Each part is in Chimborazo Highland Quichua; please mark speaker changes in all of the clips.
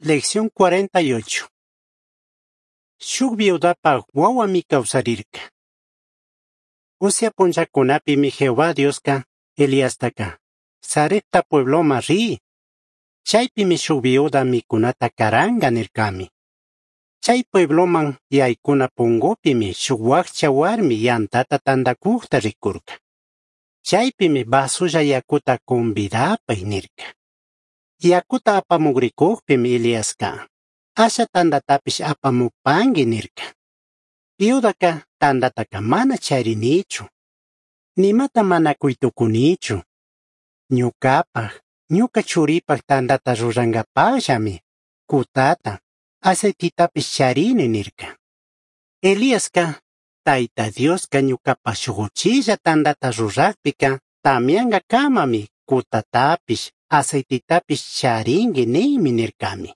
Speaker 1: Lección 48. Shuj viudapaj huahuami causarrirca. Usya punllacunapimi Jehová Diosca Eliastaca Sarepta puebloman ri. Chaipimi shuj viuda micunata caranga nircami. Chai puebloman yaicuna pungupimi shuj huajcha huarmi yantata tandacujta ricurca. Chaipimi vasulla yacuta convidapai nirca. Yacuta apamugricujpimi Eliasca asha tandatapish apamupangui nirca. Viudaca tandataca mana charinichu. Nimata mana cuitucunichu. Ñucapaj, ñuca churipaj tandata rurangapajllami, cutata, aceititapish charini nirca. Eliasca, Taita Diosca ñucapaj shuj uchilla tandata rurajpica, tamyangacamami cutatapish, aceititapish charingui ninmi nircami.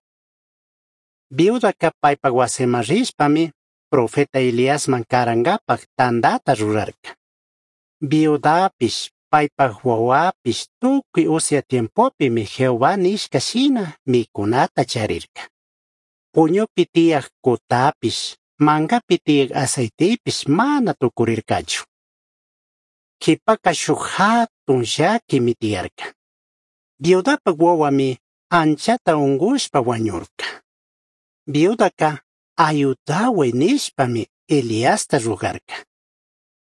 Speaker 1: Viudaca paipaj huasiman rishpami, profeta Eliasman carangapaj tandata rurarca. Viudapish, paipaj huahuapish tucui usya tiempopimi Jehová nishca shina micunata charirca. Puñupi tiyaj cutapish, mangapi tiyaj aceitepish mana tucurircachu. Quipaca shuj jatun llaquimi tiyarca. Viudapaj huahuami anchata ungushpa huañurca. Viudaca ayudahuai nishpami Eliasta rogarca.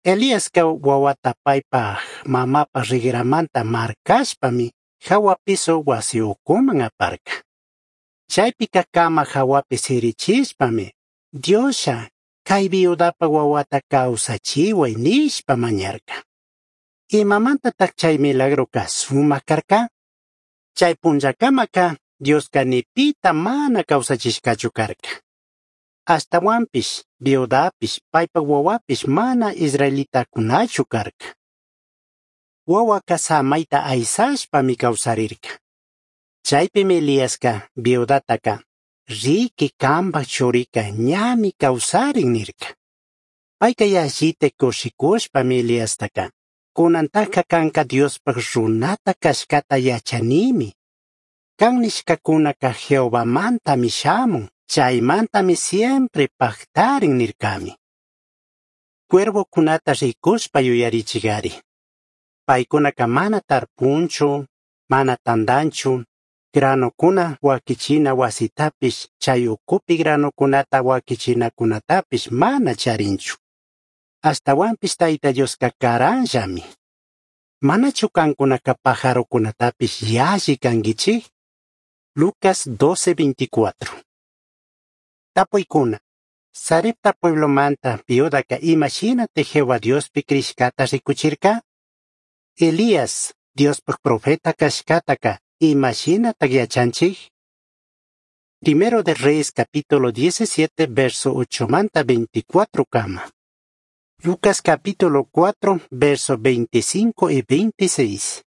Speaker 1: Eliasca huahuata paipaj mamapaj rigramanta marcashpami jahua piso huasi ucuman aparca. Chaipica cama jahuapi sirichishpami Dioslla cai viudapaj huahuata causachihuai nishpa mañarca. Imamantataj chay milagroca sumaj carca? Chay punllacamaca Diosca ni pita mana causachishcachu carca. Ashtahuanpish, viudapish, paipaj huahuapish mana israelitacunachu carca. Huahuaca samaita aisashpami causarirca. Chaipimi Eliasca viudataca riqui cambaj churica ñami causarin nirca. Paica yallita cushicushpami Eliastaca cunantaca canca Diospaj runata cashcata yachanimi. Can nishcacunaca Jehovamantami shamun, chaimantami siempre pajtarin nircami. Cuervocunata ricushpa yuyarichigari. Paicunaca mana tarpunchu, mana tandanchu, granocuna huaquichina huasitapish, chay ucupi granocunata huaquichinacunatapish mana charinchu. Ashtahuanpish Taita Diosca caranllami. Manachu cancunaca pajarocunatapish yalli canguichij? Lucas 12:24. Tapuicuna. Sarepta pueblomanta viudaca imashinata Jehová Diospi crishcata ricuchirca? Elías, Diospaj profeta cashcataca, imashinata yachanchij? Primero de Reyes capítulo 17 verso 8 manta 24 cama. Lucas capítulo 4 verso 25 y 26.